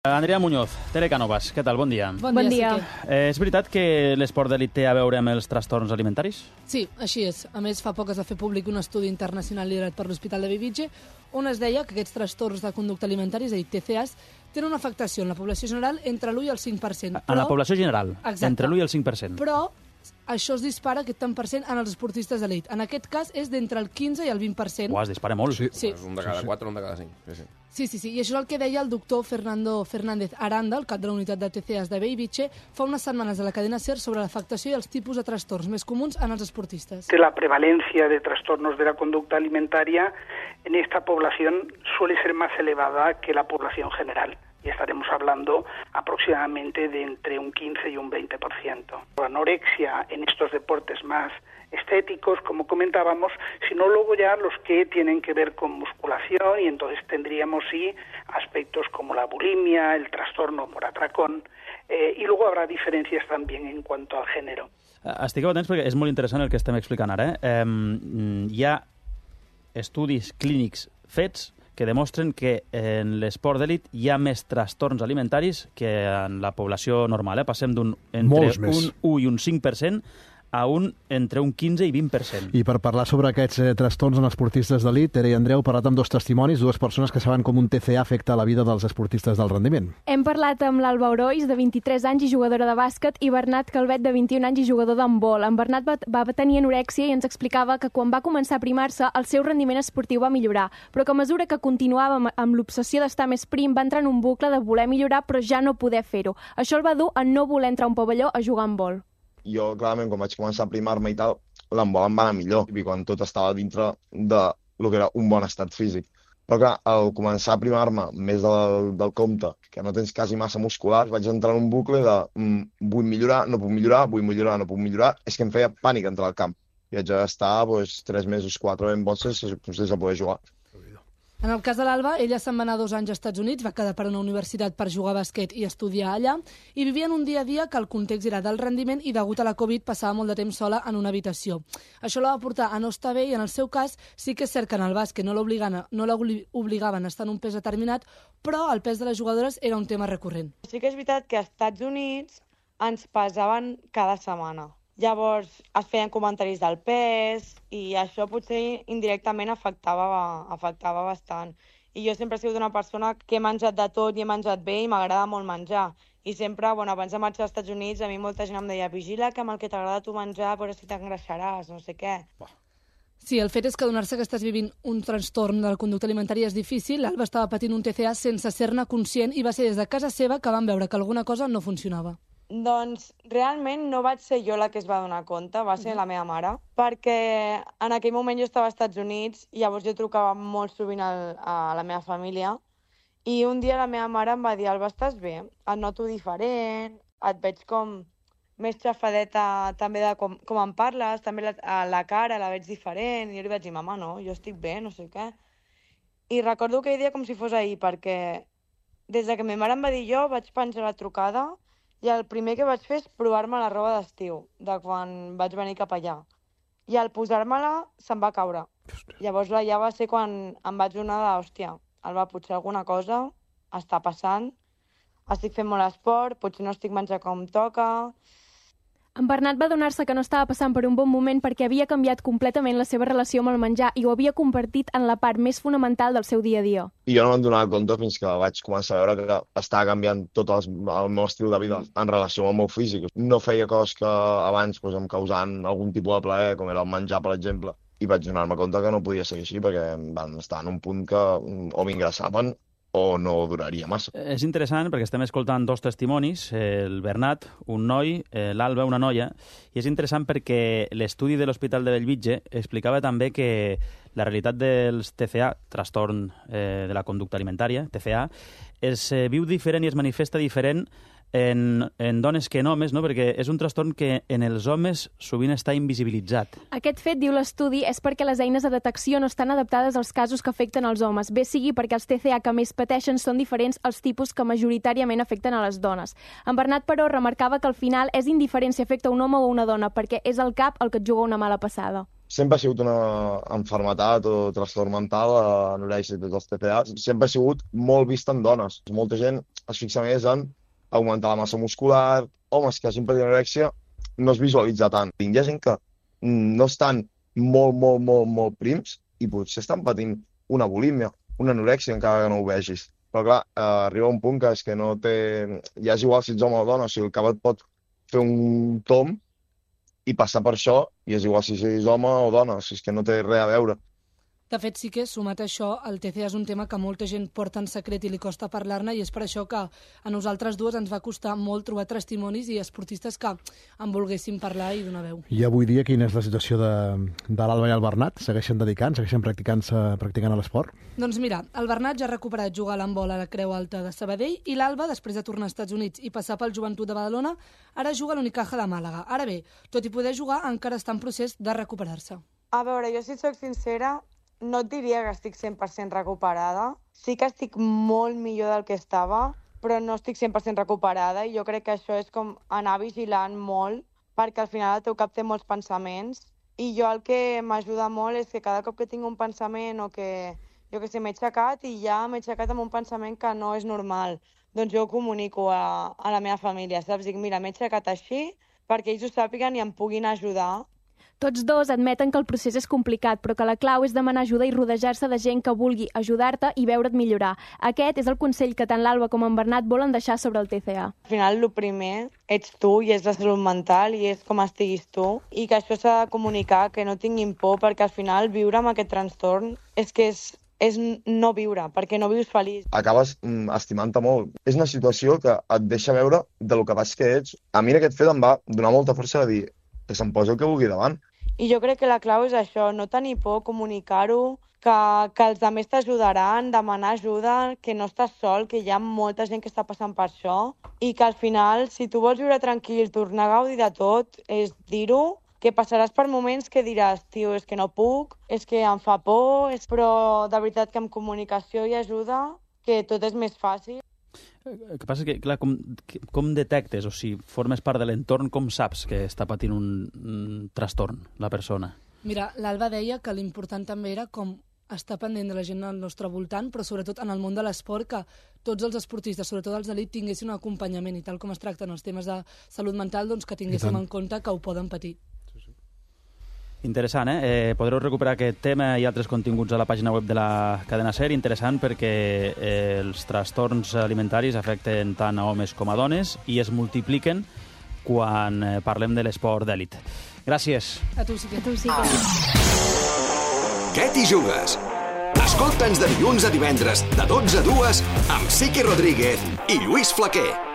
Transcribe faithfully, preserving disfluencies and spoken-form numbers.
Andrea Muñoz, Tere Cánovas, què tal? Bon dia. Bon, bon dia. dia. Eh, és veritat que l'esport d'elit té a veure amb els trastorns alimentaris? Sí, així és. A més, fa poc es va fer públic un estudi internacional liderat per l'Hospital de Bellvitge on es deia que aquests trastorns de conducta alimentària, és a dir, T C As, tenen una afectació en la població general entre l'u i el cinc per cent. Però... En la població general, Exacte. Entre l'u i el cinc per cent. Però això es dispara, aquest tant per cent, en els esportistes d'elit. En aquest cas és d'entre el quinze i el vint per cent. Uau, es dispara molt. Sí, sí. És un de cada quatre, un de cada cinc. Sí, sí. Sí, sí, sí. I això és el que deia el doctor Fernando Fernández Aranda, el cap de la unitat de T C As de Bellvitge, fa unes setmanes a la cadena SER sobre l'afectació i els tipus de trastorns més comuns en els esportistas. La prevalencia de trastornos de la conducta alimentaria en esta población suele ser más elevada que la población general. Y estaremos hablando aproximadamente de entre un quince y un veinte por ciento. La anorexia en estos deportes más estéticos, como comentábamos, sino luego ya los que tienen que ver con musculación, y entonces tendríamos sí aspectos como la bulimia, el trastorno por atracón, eh, y luego habrá diferencias también en cuanto al género. Estigueu atents perquè és molt interessant el que estem explicant ara. Eh? Um, hi ha estudis clínics fets que demostren que en l'esport d'elit hi ha més trastorns alimentaris que en la població normal. Eh? Passem d'un entre un u i un cinc per cent a un entre un quinze i vint per cent. I per parlar sobre aquests eh, trastorns en esportistes d'elit, Tere i Andreu, heu parlat amb dos testimonis, dues persones que saben com un T C A afecta la vida dels esportistes del rendiment. Hem parlat amb l'Alba Orois, de vint-i-tres anys i jugadora de bàsquet, i Bernat Calvet, de vint-i-un anys i jugador d'handbol. En Bernat va, va tenir anorèxia i ens explicava que quan va començar a primar-se, el seu rendiment esportiu va millorar, però que a mesura que continuava amb, amb l'obsessió d'estar més prim, va entrar en un bucle de voler millorar però ja no poder fer-ho. Això el va dur a no voler entrar a un pavelló a jugar a handbol. Jo, clarament, quan vaig començar a primar-me i tal, l'handbol em va anar millor, i quan tot estava dintre de lo que era un bon estat físic. Però clar, al començar a primar-me més del, del compte, que no tens quasi massa muscular, vaig entrar en un bucle de mm, vull millorar, no puc millorar, vull millorar, no puc millorar. És que em feia pànic entrar al camp. I haig d'estar pues, tres mesos, quatre ben bons sense, sense poder jugar. En el cas de l'Alba, ella se'n va anar dos anys als Estats Units, va quedar per una universitat per jugar a bàsquet i estudiar allà, i vivien un dia a dia que el context era del rendiment i degut a la Covid passava molt de temps sola en una habitació. Això la va portar a no estar bé i en el seu cas sí que és cert que en el bàsquet no l'obligaven no l'obligaven a estar en un pes determinat, però el pes de les jugadores era un tema recurrent. Sí que és veritat que als Estats Units ens pesaven cada setmana. Llavors es feien comentaris del pes i això potser indirectament afectava, afectava bastant. I jo sempre he sigut una persona que he menjat de tot i he menjat bé i m'agrada molt menjar. I sempre, bueno, abans de marxar als Estats Units, a mi molta gent em deia vigila que amb el que t'agrada tu menjar, però si t'engreixaràs, no sé què. Sí, el fet és que adonar-se que estàs vivint un trastorn de la conducta alimentària és difícil. L'Alba estava patint un T C A sense ser-ne conscient i va ser des de casa seva que van veure que alguna cosa no funcionava. Doncs realment no vaig ser jo la que es va donar compte, va ser la meva mare, perquè en aquell moment jo estava als Estats Units i llavors jo trucava molt sovint al, a la meva família i un dia la meva mare em va dir Alba, estàs bé? Et noto diferent, et veig com més xafadeta també de com, com em parles, també la, la cara la veig diferent, i jo li vaig dir, mama, no, jo estic bé, no sé què. I recordo aquell dia com si fos ahir, perquè des de que ma mare em va dir jo vaig penjar la trucada i el primer que vaig fer és provar-me la roba d'estiu, de quan vaig venir cap allà. I al posar-me-la se'm va caure. Llavors ja va ser quan em vaig donar de, hòstia, Alba, potser alguna cosa està passant, estic fent molt esport, potser no estic menjant com toca. En Bernat va adonar-se que no estava passant per un bon moment perquè havia canviat completament la seva relació amb el menjar i ho havia convertit en la part més fonamental del seu dia a dia. I jo no me'n donava compte fins que vaig començar a veure que estava canviant tot el, el meu estil de vida en relació amb el meu físic. No feia coses que abans pues, em causaven algun tipus de plaer, com era el menjar, per exemple, i vaig donar-me compte que no podia seguir així perquè van estar en un punt que o m'ingressaven o no duraria massa. És interessant perquè estem escoltant dos testimonis, el Bernat, un noi, l'Alba, una noia, i és interessant perquè l'estudi de l'Hospital de Bellvitge explicava també que la realitat dels T C A, trastorn eh, de la conducta alimentària, T C A, es eh, viu diferent i es manifesta diferent en, en dones que en homes, no? Perquè és un trastorn que en els homes sovint està invisibilitzat. Aquest fet, diu l'estudi, és perquè les eines de detecció no estan adaptades als casos que afecten els homes, bé sigui perquè els T C A que més pateixen són diferents als tipus que majoritàriament afecten a les dones. En Bernat, però, remarcava que al final és indiferent si afecta un home o una dona, perquè és el cap el que et juga una mala passada. sempre ha sigut una enfermetat o trastorn mental, anorèxia i tots els T C A, sempre ha sigut molt vist en dones. Molta gent es fixa més en augmentar la massa muscular, homes que hagin patit anorèxia no es visualitza tant. Hi ha gent que no estan molt, molt, molt, molt prims i potser estan patint una bulímia, una anorèxia encara que no ho vegis. Però clar, eh, arriba un punt que és que no té... Ja és igual si ets home o dona, o sigui, el cap et pot fer un tom i passar per això, i és igual si ets home o dona, o sigui, és que no té res a veure. De fet, sí que, sumat a això, el T C A és un tema que molta gent porta en secret i li costa parlar-ne, i és per això que a nosaltres dues ens va costar molt trobar testimonis i esportistes que en volguessin parlar i donar veu. I avui dia quina és la situació de, de l'Alba i el Bernat? Segueixen dedicant, segueixen practicant-se practicant a l'esport? Doncs mira, el Bernat ja ha recuperat jugar a l'handbol a la Creu Alta de Sabadell, i l'Alba, després de tornar als Estats Units i passar pel Joventut de Badalona, ara juga a l'Unicaja de Màlaga. Ara bé, tot i poder jugar, encara està en procés de recuperar-se. A veure, jo si soc sincera, no et diria que estic cent per cent recuperada. Sí que estic molt millor del que estava, però no estic cent per cent recuperada, i jo crec que això és com anar vigilant molt, perquè al final el teu cap té molts pensaments, i jo el que m'ajuda molt és que cada cop que tinc un pensament o que, jo que sé, m'he aixecat i ja m'he aixecat amb un pensament que no és normal, doncs jo ho comunico a, a la meva família, saps? Dic, mira, m'he aixecat així perquè ells ho sàpiguen i em puguin ajudar. Tots dos admeten que el procés és complicat, però que la clau és demanar ajuda i rodejar-se de gent que vulgui ajudar-te i veure't millorar. Aquest és el consell que tant l'Alba com en Bernat volen deixar sobre el T C A. Al final, el primer ets tu i és la salut mental i és com estiguis tu, i que això s'ha de comunicar, que no tinguin por, perquè al final viure amb aquest trastorn és que és és no viure, perquè no vius feliç. Acabes mm, estimant-te molt. És una situació que et deixa veure de lo capaç que ets. A mi en aquest fet em va donar molta força de dir que se'm posi el que vulgui davant. I jo crec que la clau és això, no tenir por, comunicar-ho, que, que els altres t'ajudaran, demanar ajuda, que no estàs sol, que hi ha molta gent que està passant per això, i que al final, si tu vols viure tranquil, tornar a gaudir de tot, és dir-ho, que passaràs per moments que diràs, tio, és que no puc, és que em fa por, és... però de veritat que amb comunicació i ajuda, que tot és més fàcil. El que passa és que, clar, com, com detectes, o si formes part de l'entorn, com saps que està patint un, un trastorn la persona? Mira, l'Alba deia que l'important també era com estar pendent de la gent al nostre voltant, però sobretot en el món de l'esport, que tots els esportistes, sobretot els d'elit, tinguessin un acompanyament, i tal com es tracten els temes de salut mental, doncs que tinguéssim en compte que ho poden patir. Interessant, eh? eh? Podreu recuperar aquest tema i altres continguts a la pàgina web de la cadena SER. Interessant perquè eh, els trastorns alimentaris afecten tant a homes com a dones i es multipliquen quan eh, parlem de l'esport d'èlit. Gràcies. A tu sí que. A tu sí que. Què t'hi jugues? Escolta'ns de dilluns a divendres, de dotze a dues, amb Siqui Rodríguez i Lluís Flaquer.